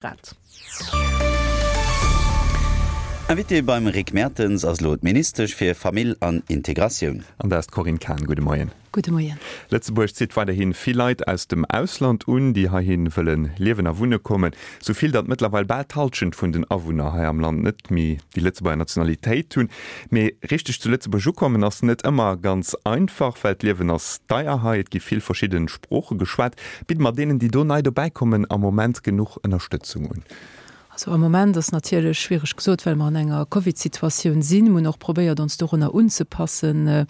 Grad. Invitée beim Rick Mertens ass elo d'Ministesch fir Famill an Integratioun. An dat ass d'Corinne Cahen. Gudde Moien. Gudde Moien. Lëtzebuerg zitt weiderhi vill Leit aus dem Ausland un, déi heihi wëlle liewen a wunne kommen. Sou vill, datt mëttlerweil bal d'Hallschent vun den Awunner hei am Land net méi déi Lëtzebuerger Nationalitéit hunn. Mee richteg zu Lëtzebuerg ukommen ass net ëmmer ganz einfach, well d'Liewen ass deier hei, et gi vill verschidde Sprooche geschwat. Bidde mer deenen, déi do nei dobäi kommen, am Moment genuch Ënnerstëtzung un? Also am Moment ass natierlech schwiereg gesot, well mer an enger Covid-Situatioun sinn. Mir hunn och probéiert, ons dorunner unzepassen.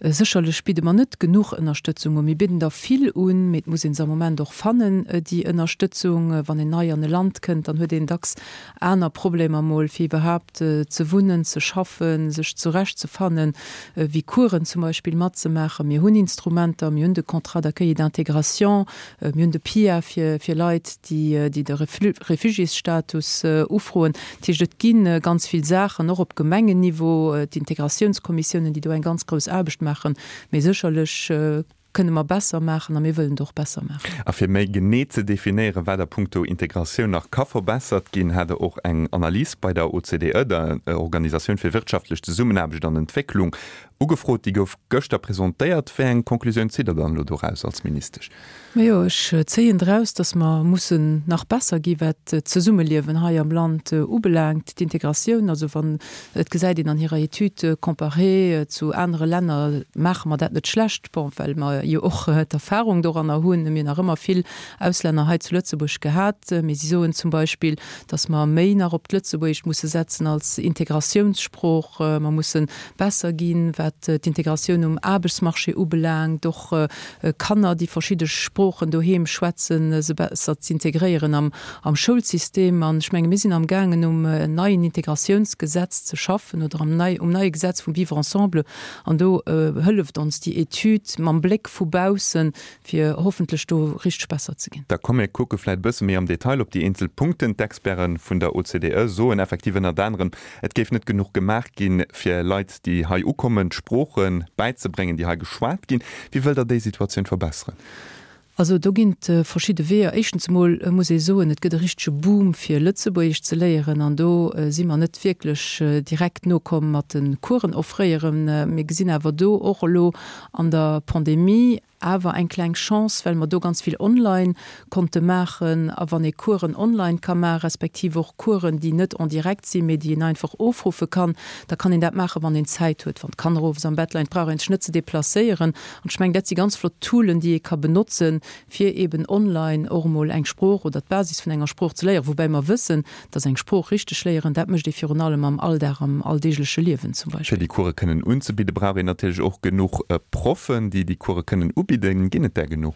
Sécherlech bidde mer net genuch Ënnerstëtzung un. Mir bidden der vill un, mee et muss ee se am Moment och fannen, déi Ënnerstëtzung. Wann een nei an e Land kënnt, dann huet een dacks aner Problemer mol, fir iwwerhaapt ze wunnen, ze schaffen, sech zurechtzefannen, wéi Coursen zum Beispill matzemaachen. Mir hunn Instrumenter, mir hunn de Contrat d'accueil et d'intégration, mir hunn de PIA fir fir Leit, déi déi de Refugiésstatus ufroen. Dat heescht, et gi ganz vill Saachen, och op Gemengenniveau, d'Integratiounskommissiounen, déi do eng ganz grouss Aarbecht maachen. Mee sécherlech kënne mer besser maachen a mir wëllen et och besser maachen. A fir méi genee ze definéieren, wat a puncto Integratioun nach ka verbessert ginn, hat Der och eng Analys bei der OCDE, der Organisatioun fir wirtschaftlech Zesummenaarbecht an Entwécklung, ugefrot. Déi gouf gëschter presentéiert. Wéi eng Conclusioun zitt Der dann elo doraus als Ministesch? Majo, ech zéien draus, datt mer mussen nach besser gi wat d'Zesummeliewen hei am Land ubelaangt, d'Integratioun. Also wann Et gesäit een an hirer Etüd, comparé zu anere Länner maache mer dat net schlecht, bon, well mer jo och d'Erfahrung doranner hunn. Mir hunn nach ëmmer vill Auslänner hei zu Lëtzebuerg gehat, mee si soen zum Beispill, datt mer méi nach op d'Lëtzebuergescht musse setzen als Integrationssprooch. Mer musse besser ginn, wat d'Integratioun um Aarbechtsmarché ubelaangt, och Kanner, déi verschidde Sproochen doheem schwätzen, se besser z'integréieren am am Schoulsystem. An ech menge mir sinn amgaangen um neien Integratiounsgesetz ze schaffen oder am nei, um neie Gesetz vum Vivre ensemble. An do hëlleft ons déi Etüd mam Bléck vu baussen, fir hoffentlech do richteg besser ze ginn. Da komm mir kucke vläicht e bësse méi am Detail op déi eenzel Punkten. D'Experte vun der OCDE soen effektiv ënnert anerem, et géif net genuch gemaach ginn, fir Leit, déi hei ukommen, d'Sprooche bäizebréngen, déi hei geschwat ginn. Wéi wëllt Der déi Situatioun verbesseren? Also do ginn et verschidde Weeër. Éischtens emol muss ee soen, et gëtt e richtege Boom fir Lëtzebuergesch ze léieren an do si mer net wierklech direkt nokomm mat de Coursen offréieren. Mir gesinn awer do och elo an der Pandemie awer eng kleng Chance, well mer do ganz vill online konnte maachen. A wann ee Coursen online ka maachen, respektiv och Coursen, déi net en direct sinn, mee déi een einfach ofruffe kann, da kann een dat maachen, wann een Zäit huet, wann d'Kanner owes am Bett leien. Et brauch ee sech net ze deplacéieren. An ech mengen, dat si ganz flott Toolen, déi ee ka benotzen, fir eeben online och emol eng Sprooch oder d'Basis vun enger Sprooch ze léieren. Woubäi mer wëssen, dass eng Sprooch richteg léieren, dat mécht ee virun allem am Alldag, am alldeegleche Liewen zum Fir Beispill. déi Course kënnen unzebidden, brauch een natierlech och genuch Proffen, déi déi Course kënnen ubidden. Ginn et där genuch?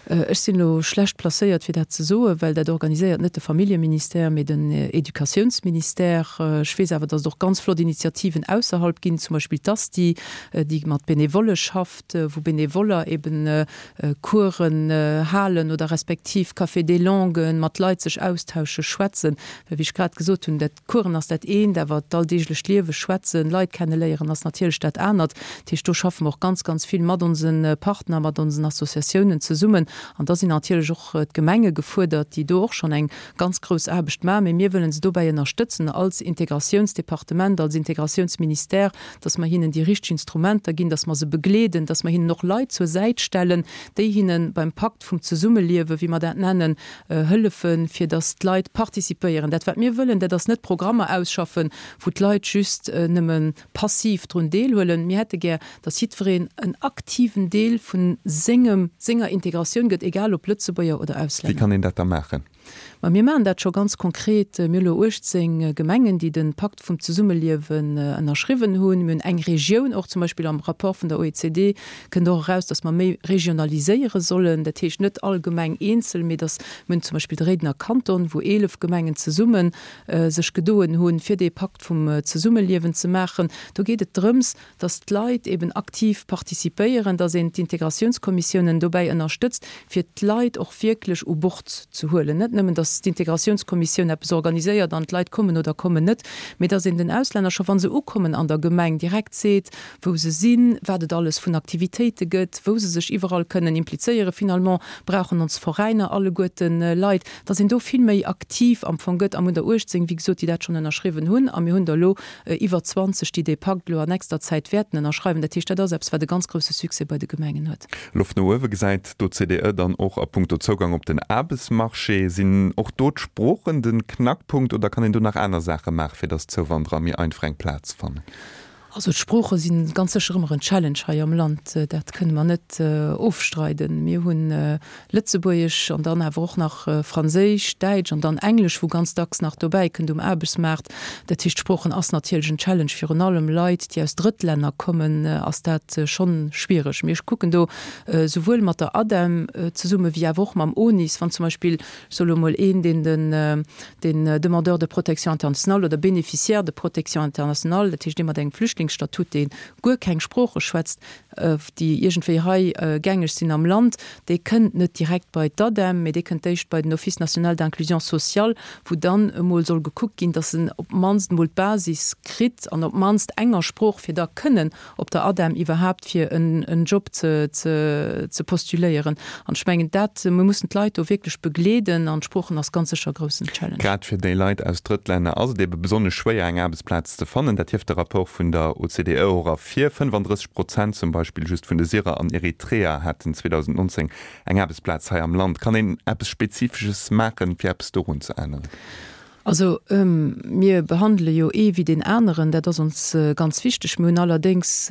Ech sinn elo schlecht placéiert, fir dat ze soen, well dat organiséiert net de Familljeministère, mee den Educatiounsministère. Ech weess awer, datt et och ganz flott Initiativen ausserhalb ginn, zum Beispill d'ASTI, déi mat Benevolle schafft, wou Benevoller eben Coursen halen oder respektiv Café des langues, mat Leit sech austauschen, schwätzen. Well wéi ech grad gesot hunn, dat Coursen ass dat eent, awer d'alldeeglecht Liewe, schwätzen, Leit kenneléieren ass natierlech dat anert. Dat heescht, do schaffe mer och ganz, ganz vill mat onse Partner, mat onsen Associatiounen zesummen. An da sinn natierlech och d'Gemenge gefuerdert, déi do och schonn eng ganz grouss Aarbecht maachen. Mee mir wëllen se dobäi ënnerstëtzen als Integratiounsdepartement, als Integratiounsministère, dass mer hinnen déi richteg Instrumenter ginn, dass mer se begleeden, dass mer hinnen och Leit zur Säit stellen, déi hinne beim Pakt vum Zesummeliewen, wéi mer dat nennen, hëllefen, fir dass d'Leit participéieren. Dat, wat mir wëllen, dat ass net Programmer ausschaffen, wou d'Leit just nëmme passiv drun deelhuelen. Mir hätte gär, dass jiddwereen en aktiven Deel vu sengem, senger Integratioun gëtt, egal ob Lëtzebuerger oder Wéi Auslänner. kann een dat da maachen? Ma mir maachen dat scho ganz konkret. Mir hu elo 18 Gemengen, déi de Pakt vum Zesummeliewen ënnerschriwwen hunn. Mir hunn eng Regioun och, zum Beispill am Rapport vun der OECD kënnt och eraus, dass mer méi regionaliséiere sollen. Dat heescht net all Gemeng eenzel, mee dass mir hunn zum Beispill de Réidener Kanton, wou 11 Gemengen zesumme sech gedoen hunn, fir dee Pakt vum Zesummeliewen ze maachen. Do geet et drëms, dass d'Leit eben aktiv participéieren, dass een d'Integratiounskommissiounen dobäi ënnerstëtzt, fir d'Leit och wierklech u Bord ze huelen. Net nëmmen, dass. dass d'Integratiounskommissioun eppes organiséiert an d'Leit kommen oder kommen net, mee dass een den Auslänner scho wa se ukommen an der Gemeng direkt seet, wou se sinn, wat et alles vun Aktivitéite gëtt, wou se sech iwwerall kënnen implizéieren. Finalement brauchen ons Veräiner alleguerten Leit, dass een do vill méi aktiv am Fong gëtt. A mir hunn der 18, wéi gesot, déi dat schonn ënnerschriwwen hunn a mir hunn der elo iwwer 20, déi dee Pakt elo an nächster Zäit wäerten ënnerschreiwen. Dat heescht, dat ass eppes, wat e ganz grousse Succès bei de Gemengen huet. Loft no uewe gesäit d'OCDE dann och a puncto Zougang op den Aarbechtsmarché. Sinn och do d'Sproochen de Knackpunkt oder kann een do nach aner Saache maachen, fir datt d'Zouwanderer méi einfach eng Plaz fannen? Also d'Sprooche si ganz sécher ëmmer en Challenge hei am Land, dat kënne mer net ofstreiden. Mir hu Lëtzebuergesch an dann awer och nach Franséisch, Däitsch an dann Englesch, wou ganz dacks nach dobäi kënnt um Aarbechtsmaart. Dat heescht, d'Sproochen ass natierlech en Challenge. Virun allem Leit, déi aus Drëttlänner kommen, ass dat schonn schwiereg. Mee ech kucken do souwuel mat der ADEM zesumme wéi awer och mam ONIS, wann zum Beispill, ech soe lo mol een, deen den den Demandeur de protection internationale oder Bénéficiaire de protection internationale, dat heescht ee mat engem Flüchtlingsstatut, dee guer keng Sprooche schwätzt, déi iergendwéi hei gängeg sinn am Land, dee kënnt net direkt bei d'ADEM, mee dee kënnt éischt bei den Office national d'inclusion sociale, wou dann emol soll gekuckt ginn, datt en op d'mannst emol d'Basis kritt an op d'mannst enger Sprooch, fir da kënnen op der ADEM iwwerhaapt fir en Job ze postuléieren. An ech mengen dat, mir mussen d'Leit do wierklech begleeden an d'Sproochen ass ganz sécher e groussen Challenge. Grad fir déi Leit aus Drëttlänner ass et ebe besonnesch schwéier eng Aarbechtsplaz ze fannen. Dat hieft de Rapport vun der OCDE och ervir. 35 Prozent zum Beispill just vun de Syrer an Eritreer haten 2019 eng Aarbechtsplaz hei am Land. Kann een eppes Spezifesches maachen, fir eppes dorun ze änneren? Also, mir behandele jo ee wéi deen aneren, dat ass ons ganz wichteg. Mir hunn allerdéngs,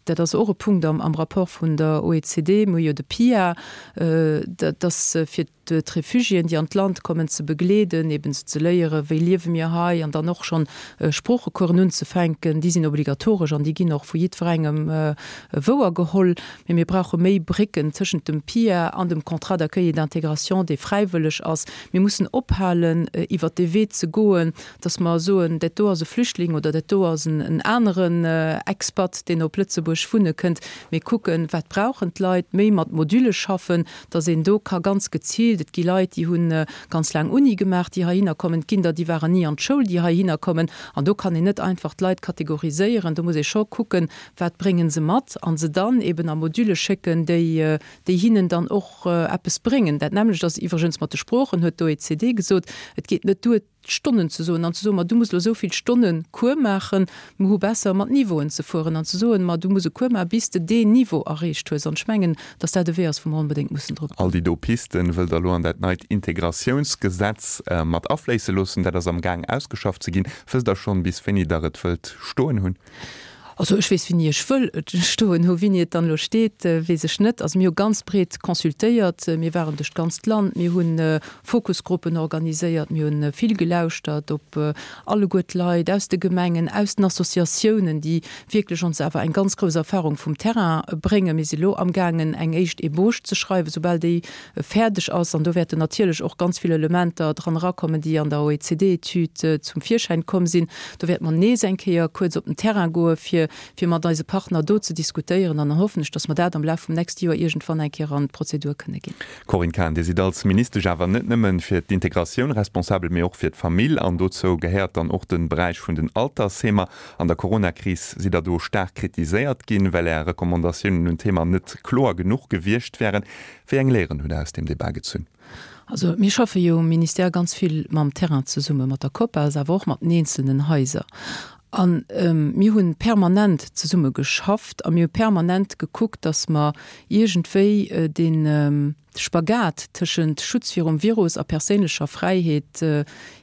dat ass och e Punkt am Rapport vun der OECD, mir hu jo de PIA, dat ass fir d'Refugiéen, déi an d'Land kommen, ze begleeden, eben se ze léieren, wéi liewe mir hei, an dann och schonn Sproochecoursen unzefänken. Déi sinn obligatoresch an déi ginn och vu jiddwerengem wouergeholl. Mee mir brauche méi Brécken tëschent dem PIA an dem Contrat d'accueil et d'intégration, dee fräiwëlleg ass. Mir mussen ophalen, iwwert dee Wee ze goen, dass mer soen, dat do ass e Flüchtling oder dat do ass en aneren Expat, deen op Lëtzebuerg wunne kënnt. Mee kucken, wat brauchen d'Leit, méi mat Modülle schaffen, dass een do ka ganz geziilt, et gi Leit, déi hu ganz laang Uni gemaach, déi heihinner kommen, et ginn der, déi waren ni an d'Schoul, déi heihinner kommen. An do kann een net einfach d'Leit kategoriséieren. Do muss ee scho kucken, wat brénge se mat a se dann eben a Modülle schécken, déi déi hinnen dann och eppes bréngen. Dat nämmlecht ass iwwregens mat de Sproochen, huet d'OECD gesot. Et geet net duer, Stonnen ze soen an ze soen, ma du muss elo esou vill Stonne Cours maachen. Mir hu besser, mat Niveauen ze fueren an ze soen, ma du muss e Cours maachen, bis de deen Niveau erreecht hues. An ech mengen, datt dat e Wee ass, wou mer onbedéngt mussen drop goen. All déi do Pisten wëllt Der elo an dat neit Integratiounsgesetz mat afléisse loossen. Dat ass am Gaang ausgeschafft ze ginn. Wësst Der schonn, bis wéini Der et wëllt stoen hunn? Also ech weess wéini ech wëll et stoen hu. Wéini et dann elo steet, weess ech net. Also mir hu ganz breet consultéiert, mir waren duerch d'ganzt Land, mir hu Fokusgruppen organiséiert, mir hu vill gelauschtert op alleguer d'Leit aus de Gemengen, aus den Associatiounen, déi wierklech ons awer eng ganz grouss Erfahrung vum Terrain bréngen. Mir si lo amgaangen eng éischt Ébauche ze schreiwen, soubal déi fäerdeg ass, an do wäerten natierlech och ganz vill Elementer dran erakommen, déi an der OECD-Etüd zum Virschäin komm sinn, do wäerte mer nees eng Kéier kuerz op den Terrain goe fir, fir mat eise Partner do ze diskutéieren. An dann hoffen ech, dass mer dat am Laf vum nächste Joer iergendwann eng Kéier an d'Prozedur kënne ginn. Corinne Cahen, Dir sidd als Ministesch awer net nëmme fir d'Integratioun responsabel, mee och fir d'Famill, an dozou gehéiert dann och de Beräich vun den Altersheemer. An der Coronakris sidd Der do staark kritiséiert ginn, well Är Recommandatiounen un Thema net kloer genuch gewiescht wären. Wéi eng Léieren hutt Der aus deem Debat gezunn? Also mir schaffe jo um Ministère ganz vill mam Terrain zesummen, mat der COPAS, awer och mat den eenzelnen Haiser. A mir hu permanent zesumme geschafft a mir hu permanent gekuckt, datt mer iergendwéi dee Spagat tëschent Schutz virum Virus a perséinlecher Fräiheet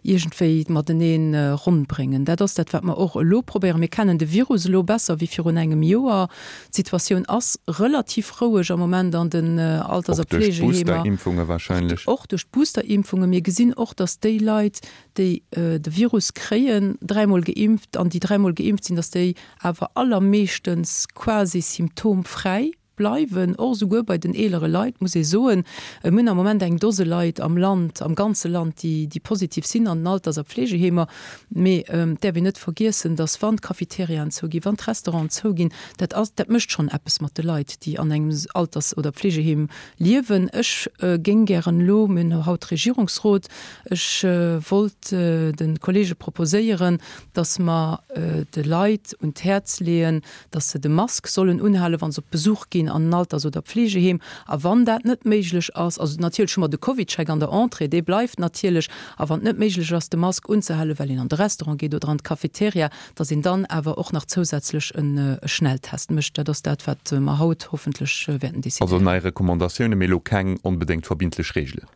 iergendwéi matenee ronn bréngen. Dat ass dat, wat mer och elo probéieren. Mir kennen de Virus elo besser wéi virun engem Joer. D'Situatioun ass relativ roueg am Moment an den Alters a Och duerch Pflegeheemer. d'Boosterimpfunge wahrscheinlech. Och duerch d'Boosterimpfunge. Mir gesinn och, datt déi Leit, déi de Virus kréien, dräimol geimpft, an déi dräimol geimpft sinn, datt déi awer allermeeschtens quasi symptomfräi. bleiwen, och esouguer bei den eelere Leit, muss ee soen. Mir hunn am Moment eng Dose Leit am Land, am ganze Land, déi, déi positiv sinn an den Alters a Pflegeheemer. Mee et däerf een net vergiessen, dass wann d'Cafeteriaen zouginn, wann d'Restauranten zouginn, dat ass, dat mécht schonn eppes mat de Leit, déi an engem Alters oder Pflegeheem liewen. Ech géing gären elo, mir hunn haut Regierungsrot, ech wollt de Kollege proposéieren, dass mer de Leit un d'Häerz leeën, dass se de Mask sollen unhalen, wa se op Besuch ginn an en Alters oder Pflegeheem. A wann dat net méiglech ass, also natierlech hu mer de CovidCheck an der Entrée, dee bleift natierlech, a wann et net méiglech ass, de Mask unzehalen, well een an de Restaurant geet oder an d'Cafeteria, dass een dann awer och nach zousätzlech e Schnelltest mécht. Dat ass dat, wat mer haut hoffentlech wäerten decidéieren. Also nei Recommandatiounen, mee elo keng onbedéngt verbindlech Reegelen.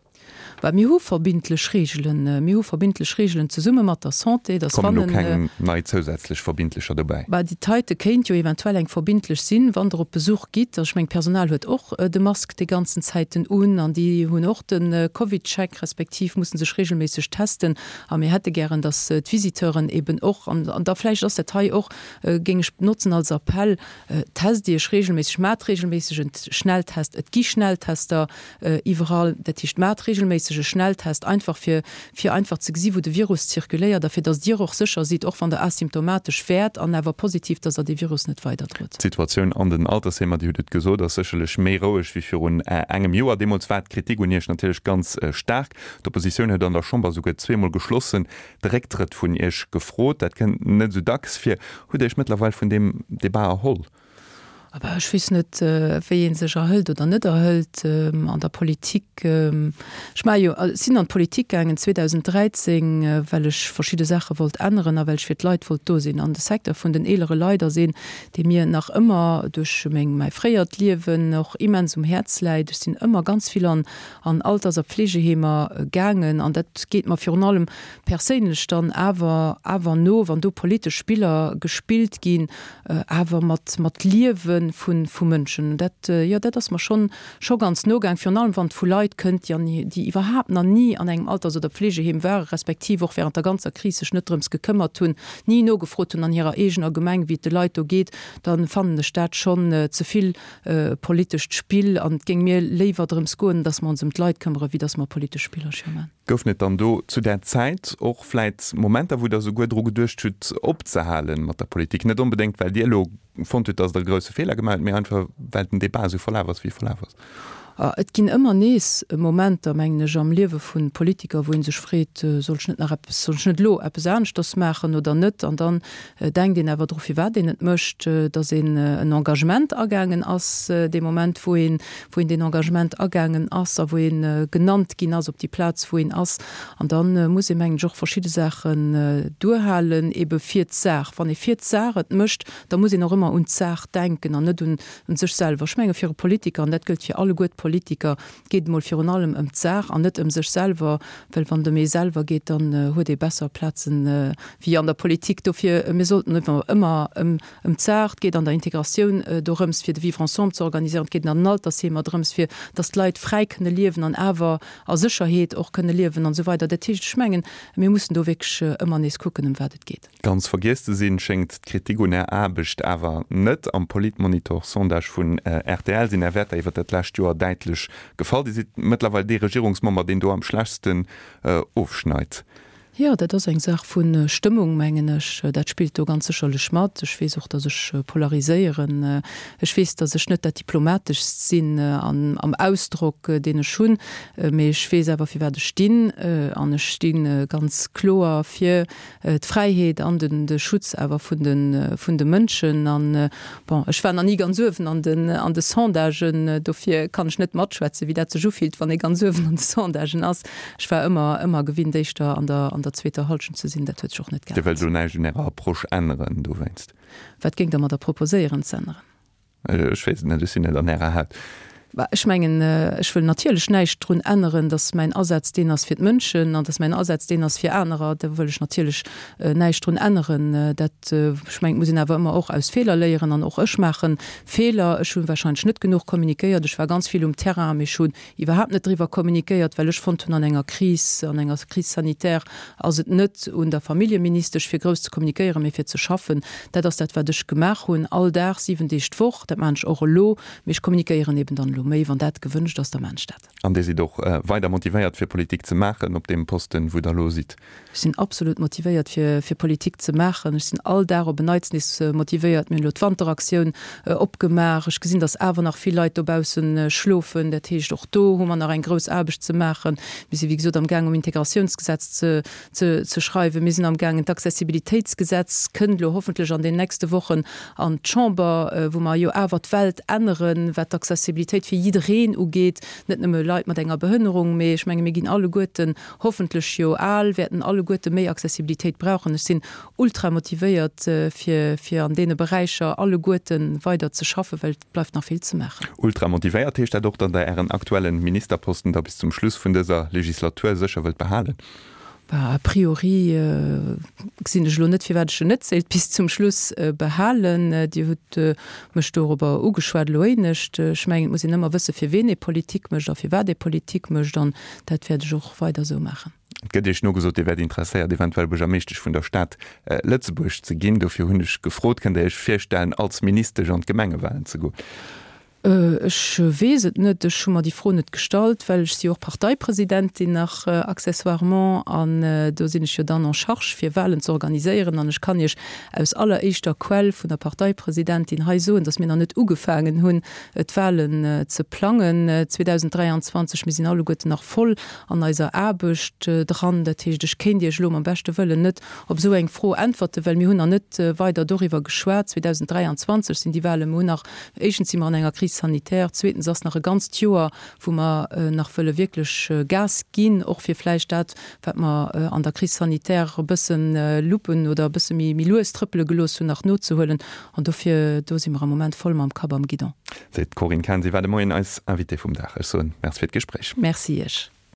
Bah, mir hu verbindlech Reegelen. Mir hu verbindlech Reegelen zesumme mat der Santé, dass wann en. Kommen elo keng nei zousätzlech verbindlecher dobäi? Bah, déi Teite kéint jo eventuell eng verbindlech sinn, wann Der op Besuch gitt. Also ech mengen, d'Personal huet och de Mask déi ganzen Zäiten un an déi hunn och de CovidCheck, respektiv musse sech reegelméisseg testen. A mir hätte gären, dass d'Visiteuren eben och, an da vläicht ass dat hei och, géing ech notzen als Appell, Test Iech reegelméisseg, maacht reegelméisseg en Schnelltest. Et gi Schnelltester iwwerall. Dat heescht, maacht reegelméisseg e Schnelltest, einfach fir, fir einfach ze gesi wou de Virus zirkuléiert a fir datt Dir och sécher sidd, och wann Der asymptomatesch wäert an awer positiv, datt Der dee Virus net weiderdrot. D'Situatioun an den Altersheemer, Dir hutt et gesot, ass sécherlech méi roueg wéi virun engem Joer. Deemools war d'Kritik un Iech natierlech ganz staark. D'Oppositioun huet an der Chamber souguer zweemol geschlossen de Récktrëtt vun Iech gefrot. Dat kënnt net esou dacks vir. Hutt Dir Iech mëttlerweil vun deem Debat erholl? Bah, ech weess net, wéi ee sech erhëlt oder net erhëlt an der Politik. Ech maache jo, sinn an d'Politik gaangen 2013, well ech verschidde Saache wollt änneren a well ech fir d'Leit wollt do sinn. An de Secteur vun den eelere Leit ass een, dee mir nach ëmmer duerch meng, mäi fréiert Liewen och immens um Häerz läit. Ech sinn ëmmer ganz vill an an Alters a Pflegeheemer gaangen an dat geet mer virun allem perséinlech dann awer awer no, wann do politesch Spiller gespillt ginn, awer mat mat Liewe vu vu Mënschen. Dat, jo, dat ass mer schonn scho ganz no gaang, virun allem wann et vu Leit kënnt, déi an déi iwwerhaapt nach ni an engem Alters oder Pflegeheem waren, respektiv och während der ganzer Kris sech net drëms gekëmmert hunn, ni nogefrot hunn an hirer eegener Gemeng, wéi et de Leit do geet, da fannen ech dat schonn ze vill politescht Spill an et géing mir léiwer drëms goen, datt mer ons ëm d'Leit këmmere wéi datt mer politesch Spillercher man. Goufen et dann do zu där Zäit och vläit Momenter, wou Der souguer dru geduecht hutt, opzehale mat der Politik? Net onbedéngt, well Dir elo fonnt hutt, datt Der e grousse Feeler gemaach hutt, mee einfach, well den Debat esou verlaf ass, wéi e verlaf ass? Et ginn ëmmer nees Momenter, mengen ech, am Liewe vu Politiker, wou ee sech freet, Soll ech net nach eppes, soll ech net elo eppes aneschters maachen oder net? An dann denkt een awer dru firwat een et mécht, datt een en Engagement agaangen ass dee Moment wou een wou een deen Engagement agaangen ass a wou ee genannt ginn ass op déi Plaz wou een ass. An da muss ee mengen ech och verschidde Saachen duerhalen, ebe fir d'Saach. Wann ee fir d'Saach et mécht, da muss een och ëmmer un d'Saach denken an net un sech selwer. Ech menge fir e Politiker, an dat gëllt fir alleguer d'Politiker, geet et mol virun allem ëm d'Saach an net ëm sech selwer, well wann et ëm ee selwer geet, dann huet ee besser Plazen wéi an der Politik. Dofir, mir sollten ëmmer ëm d'Saach, et geet an der Integratioun dorëms fir de Vivre ensemble ze organiséieren, et geet an den Altersheemer drëms fir datt d'Leit fräi kënne liewen an awer a Sécherheet och kënne liewen an esou weider. Dat heescht, ech mengen, mir mussen do wierklech ëmmer nees kucken ëm wat et geet. Ganz vergiess ze sinn, schéngt d'Kritik un Är Aarbecht awer net. Am Politmonitor-Sondage vun rtl sinn Är Wäerter iwwer dat lescht Joer däitlech gefall. Dir sidd mëttlerweil dee Regierungsmember, deen do am schlechtsten ofschneit. Jo, dat ass eng Saach vu Stëmmung, mengen ech. Dat spillt do ganz sécherlech mat. Ech weess och, datt ech polariséieren. Ech weess, datt ech net dat Diplomateschst sinn am Ausdrock, deen ech hunn. Mee ech weess awer, firwat ech stinn. An ech sti ganz kloer fir d'Fräiheet an den de Schutz awer vun de vun de Mënschen. An, bon, ech war nach ni ganz uewen an den an de Sondagen, dofir kann ech net matschwätzen, wéi dat sech ufillt, wann ee ganz uewen an de Sondagen ass. Ech war ëmmer ëmmer gewinnt, éischter an der an der zweeter Hallschent ze sinn. Dat huet sech och net Dir wëllt geännert. elo näischt un Ärer Approche änneren dowéinst? Wat géingt Der mer da proposéieren z'änneren? Ech weess et net, ech sinn net an Ärer Haut. Bah, ech mengen, ech wëll natierlech näischt drun änneren, datt mäin Asaz deen ass fir d'Mënschen an datt mäin Asaz deen ass fir anerer. Do wëll ech natierlech näischt drun änneren. Dat, ech mengen, et muss een awer ëmmer och aus Feeler léieren an och ech maache Feeler. Ech hu wahrscheinlech net genuch kommunikéiert. Ech war ganz vill um Terrain, mee ech hunn iwwerhaapt net driwwer kommunikéiert, well ech fonnt hunn, an enger Kris, an enger Crise sanitaire ass et net un der Familljeministesch fir grouss ze kommunikéieren, mee fir ze schaffen. Dat ass dat, wat ech gemaach hunn, all Dag, 7 Deeg d'Woch. Dat maachen ech och elo, mee ech kommunikéieren eben dann elo méi. Wann dat gewënscht ass, da maachen ech dat. An Dir sidd och weider motivéiert fir Politik ze maachen op deem Posten, wou Der elo sidd? Ech sinn absolut motivéiert fir fir Politik ze maachen. Ech sinn all Dag op en Neits nees motivéiert. Mir hunn elo d'Wanteraktioun opgemaach. Ech gesinn, datt awer nach vill Leit dobausse schlofen. Dat heescht, och do hu mer nach eng grouss Aarbecht ze maachen. Mir si wéi gesot am Gaang um Integratiounsgesetz ze ze ze schreiwen. Mir sinn am gaangen, d'Accessibilitéitsgesetz kënnt elo hoffentlech an den nächste Wochen an d'Chamber, wou mer jo awer d'Welt änneren, wat d'Accessibilitéit fir jiddereen ugeet, net nëmme Leit mat enger Behënnerung, mee ech menge mir ginn alleguerten hoffentlech jo al, wäerten alleguerte méi Accessibilitéit brauchen. Ech sinn ultra motivéiert, fir, fir an deene Beräicher alleguerte weider ze schaffen, well et bleift nach vill ze maachen. Ultra motivéiert, heescht dat och, datt Der Ären aktuellen Ministerposten da bis zum Schluss vun dëser Legislatur sécher wëllt behalen? Bah, a priori gesinn ech elo net, firwat ech en net sollt bis zum Schluss behalen. Dir hutt mech dorobber ugeschwat elo éinescht. Ech mengen, et muss een ëmmer wësse fir ween ee Politik mécht a firwat ee Politik mécht an dat wäert ech och weider esou maachen. Et gëtt Iech nogesot, Dir wäert interesséiert, eventuell Buergermeeschtesch vun der Stad Lëtzebuerg ze ginn. Dofir hunn ech gefrot, Kënnt Dir Iech virstellen, als Ministesch an d'Gemengewalen ze goen? Ech weess et net. Ech hu mer déi Fro net gestallt, well ech si jo och Parteipresidentin nach accessoirement an do sinn ech jo dann en charge fir Wahlen ze organiséieren. An ech kann Iech aus alleréischter Quell vun der Parteipresidentin hei soen, datt mir nach net ugefaangen hunn d'Wahlen ze plangen 2023. Mir sinn alleguerten nach voll an eiser Aarbecht dran. Dat heescht, ech kéint Iech elo mam beschte Wëllen net op esou eng Fro äntwerten, well mir hunn nach net weider doriwwer geschwat. 2023 sinn déi Wahlen. Mir hunn nach Éischtens si mer an enger Crise sanitaire, zweetens ass nach e ganzt Joer, wou mer nach wëlle wierklech Gas ginn, och fir vläicht dat, wat mer an der Crise sanitaire e bësse luppen oder e bësse méi lues trëppele gelooss hunn, nach nozehuelen. An dofir, do si mer am Moment voll mam Kapp am Guidon. Seet d'Corinne Cahen. Si war de Moien eis Invitée vum Dag. Ech soen Merci fir d'Gespréich. Merci Iech.